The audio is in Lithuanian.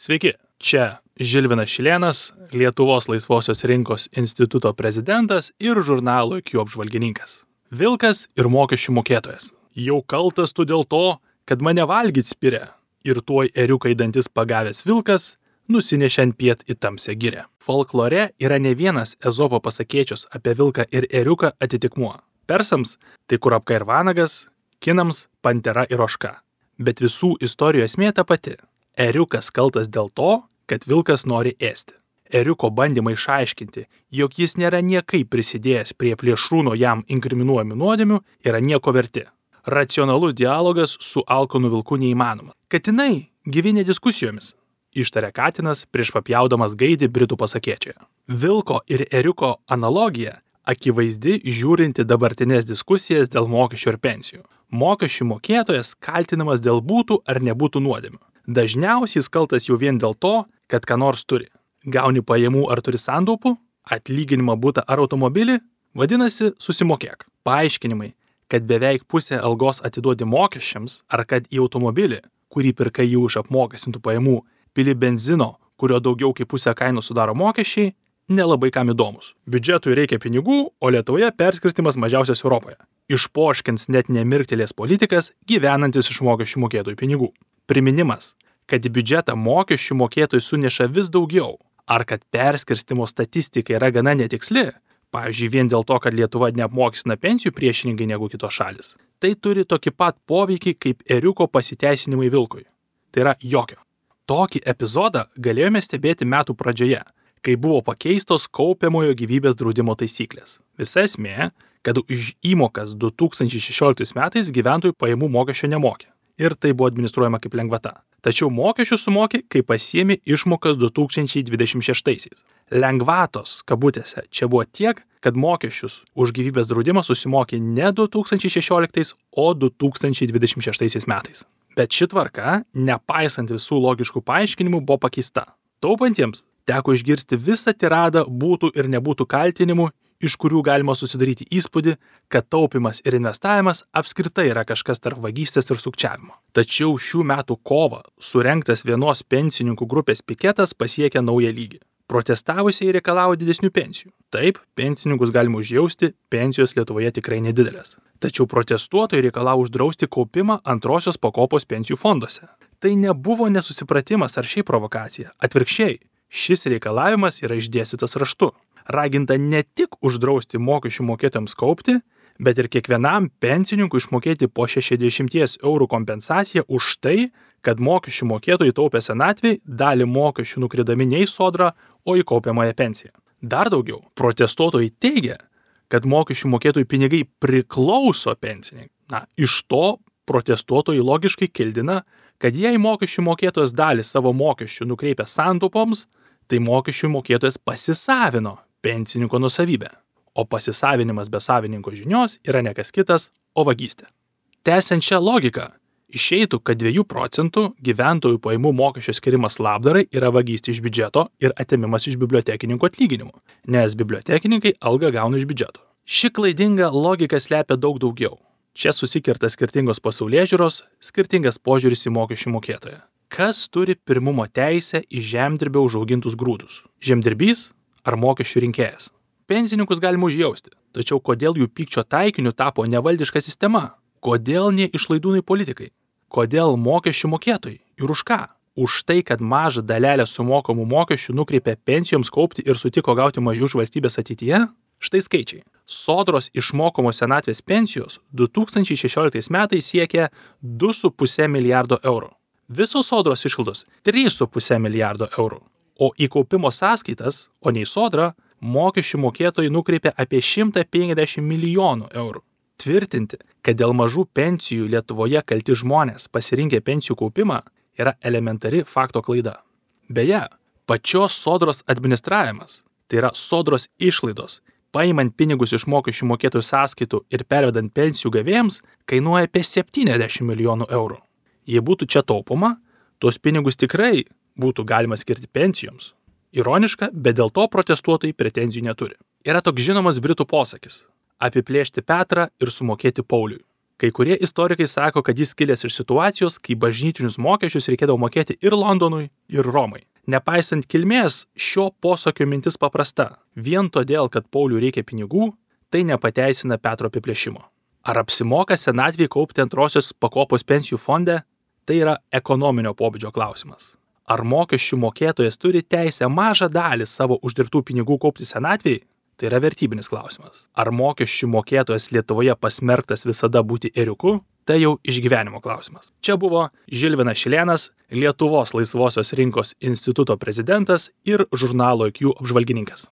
Sveiki, čia Žilvinas Šilėnas, Lietuvos laisvosios rinkos instituto prezidentas ir žurnalo IQ apžvalgininkas. Vilkas ir mokesčių mokėtojas. Jau kaltas tu dėl to, kad mane valgyt spiria. Ir tuoj ėriuką į dantis pagavęs vilkas nusinešė ant piet į tamsią girią. Folklore yra ne vienas Ezopo pasakėčios apie vilką ir ėriuką atitikmuo. Persams tai kurapka ir vanagas, kinams pantera ir ožka. Bet visų istorijų esmė ta pati. Ėriukas kaltas dėl to, kad vilkas nori ėsti. Ėriuko bandymai išaiškinti, jog jis nėra niekaip prisidėjęs prie plėšrūno jam inkriminuojamų nuodėmių, yra nieko verti. Racionalus dialogas su alkanu vilku neįmanoma. Katinai gyvi diskusijomis, ištarė katinas prieš papjaudamas gaidį britų pasakėčioje. Vilko ir ėriuko analogija akivaizdi žiūrinti dabartinės diskusijas dėl mokesčių ir pensijų. Mokesčių mokėtojas kaltinamas dėl būtų ar nebūtų nuodėmių. Dažniausiai jis kaltas jau vien dėl to, kad ką nors turi. Gauni pajamų ar turi santaupų, atlyginimą butą ar automobilį, vadinasi susimokėk. Paaiškinimai, kad beveik pusę algos atiduodi mokesčiams ar kad į automobilį, kurį pirkai jau iš apmokestintų pajamų, pili benzino, kurio daugiau kaip pusę kainos sudaro mokesčiai, nelabai kam įdomus. Biudžetui reikia pinigų, o Lietuvoje perskirstimas mažiausias Europoje. Išpoškins net nemirktelės politikas gyvenantis iš mokesčių mokėtojų pinigų. Priminimas, kad į biudžetą mokesčių mokėtojų suneša vis daugiau, ar kad perskirstimo statistika yra gana netiksli, pavyzdžiui, vien dėl to, kad Lietuva neapmokestina pensijų priešininkai negu kitos šalis, tai turi tokį pat poveikį kaip ėriuko pasiteisinimai vilkui. Tai yra jokio. Tokį epizodą galėjome stebėti metų pradžioje, kai buvo pakeistos kaupiamojo gyvybės draudimo taisyklės. Visa esmė, kad už įmokas 2016 metais gyventojų pajamų mokesčio nemokė. Ir tai buvo administruojama kaip lengvata. Tačiau mokesčių sumokė, kai pasiėmė išmokas 2026. Lengvatos, kabutėse, čia buvo tiek, kad mokesčius už gyvybės draudimą susimokė ne 2016, o 2026 metais. Bet ši tvarka, nepaisant visų logiškų paaiškinimų, buvo pakeista. Taupantiems teko išgirsti visą tiradą būtų ir nebūtų kaltinimų, iš kurių galima susidaryti įspūdį, kad taupimas ir investavimas apskritai yra kažkas tarp vagystės ir sukčiavimo. Tačiau šių metų kovą surengtas vienos pensininkų grupės piketas pasiekė naują lygį. Protestavusieji reikalavo didesnių pensijų. Taip, pensininkus galima užjausti, pensijos Lietuvoje tikrai nedidelės. Tačiau protestuotojai reikalavo uždrausti kaupimą antrosios pakopos pensijų fonduose. Tai nebuvo nesusipratimas ar šiaip provokacija. Atvirkščiai, šis reikalavimas yra išdėstytas raštu. Raginta ne tik uždrausti mokesčių mokėtojams kaupti, bet ir kiekvienam pensininkui išmokėti po 60 eurų kompensaciją už tai, kad mokesčių mokėtojai taupė senatvei dalį mokesčių nukridami ne į sodrą, o į kaupiamąją pensiją. Dar daugiau, protestuotojai teigia, kad mokesčių mokėtojų pinigai priklauso pensininkui. Iš to protestuotojai logiškai kildina, kad jei mokesčių mokėtojas dalį savo mokesčių nukreipia santaupoms, tai mokesčių mokėtojas pasisavino pensininko nusavybę, o pasisavinimas be savininko žinios yra ne kas kitas, o vagystė. Tęsiant šią logiką, išeitų, kad 2 procentų gyventojų pajamų mokesčio skirimas labdarai yra vagystė iš biudžeto ir atėmimas iš bibliotekininkų atlyginimų, nes bibliotekininkai algą gauna iš biudžeto. Ši klaidinga logika slepia daug daugiau. Čia susikirta skirtingos pasaulėžiūros, skirtingas požiūris į mokesčių mokėtoją. Kas turi pirmumo teisę į žemdirbio užaugintus grūdus? Žemdirbys ar mokesčių rinkėjas? Pensininkus galima užjausti, tačiau kodėl jų pykčio taikiniu tapo nevaldiška sistema? Kodėl ne išlaidūnai politikai? Kodėl mokesčių mokėtojai? Ir už ką? Už tai, kad mažą dalelę sumokamų mokesčių nukreipė pensijoms kaupti ir sutiko gauti mažiau už valstybės ateityje? Štai skaičiai. Sodros išmokamos senatvės pensijos 2016 metais siekė 2,5 milijardo eurų. Visos sodros išlaidos 3,5 milijardo eurų. O į kaupimo sąskaitas, o ne į sodrą, mokesčių mokėtojai nukreipė apie 150 milijonų eurų. Tvirtinti, kad dėl mažų pensijų Lietuvoje kalti žmonės pasirinkę pensijų kaupimą, yra elementari fakto klaida. Beje, pačios sodros administravimas, tai yra sodros išlaidos, paimant pinigus iš mokesčių mokėtojų sąskaitų ir pervedant pensijų gavėjams, kainuoja apie 70 milijonų eurų. Jei būtų čia taupoma, tuos pinigus tikrai būtų galima skirti pensijoms. Ironiška, bet dėl to protestuotojai pretenzijų neturi. Yra toks žinomas britų posakis – apiplėšti Petrą ir sumokėti Pauliui. Kai kurie istorikai sako, kad jis kilęs iš situacijos, kai bažnytinius mokesčius reikėdavo mokėti ir Londonui, ir Romai. Nepaisant kilmės, šio posakio mintis paprasta. Vien todėl, kad Pauliui reikia pinigų, tai nepateisina Petro apiplėšimo. Ar apsimoka senatvėje kaupti antrosios pakopos pensijų fonde? Tai yra ekonominio pobūdžio klausimas. Ar mokesčių mokėtojas turi teisę mažą dalį savo uždirbtų pinigų kaupti senatvėje? Tai yra vertybinis klausimas. Ar mokesčių mokėtojas Lietuvoje pasmerktas visada būti ėriuku? Tai jau išgyvenimo klausimas. Čia buvo Žilvinas Šilėnas, Lietuvos laisvosios rinkos instituto prezidentas ir žurnalo IQ apžvalgininkas.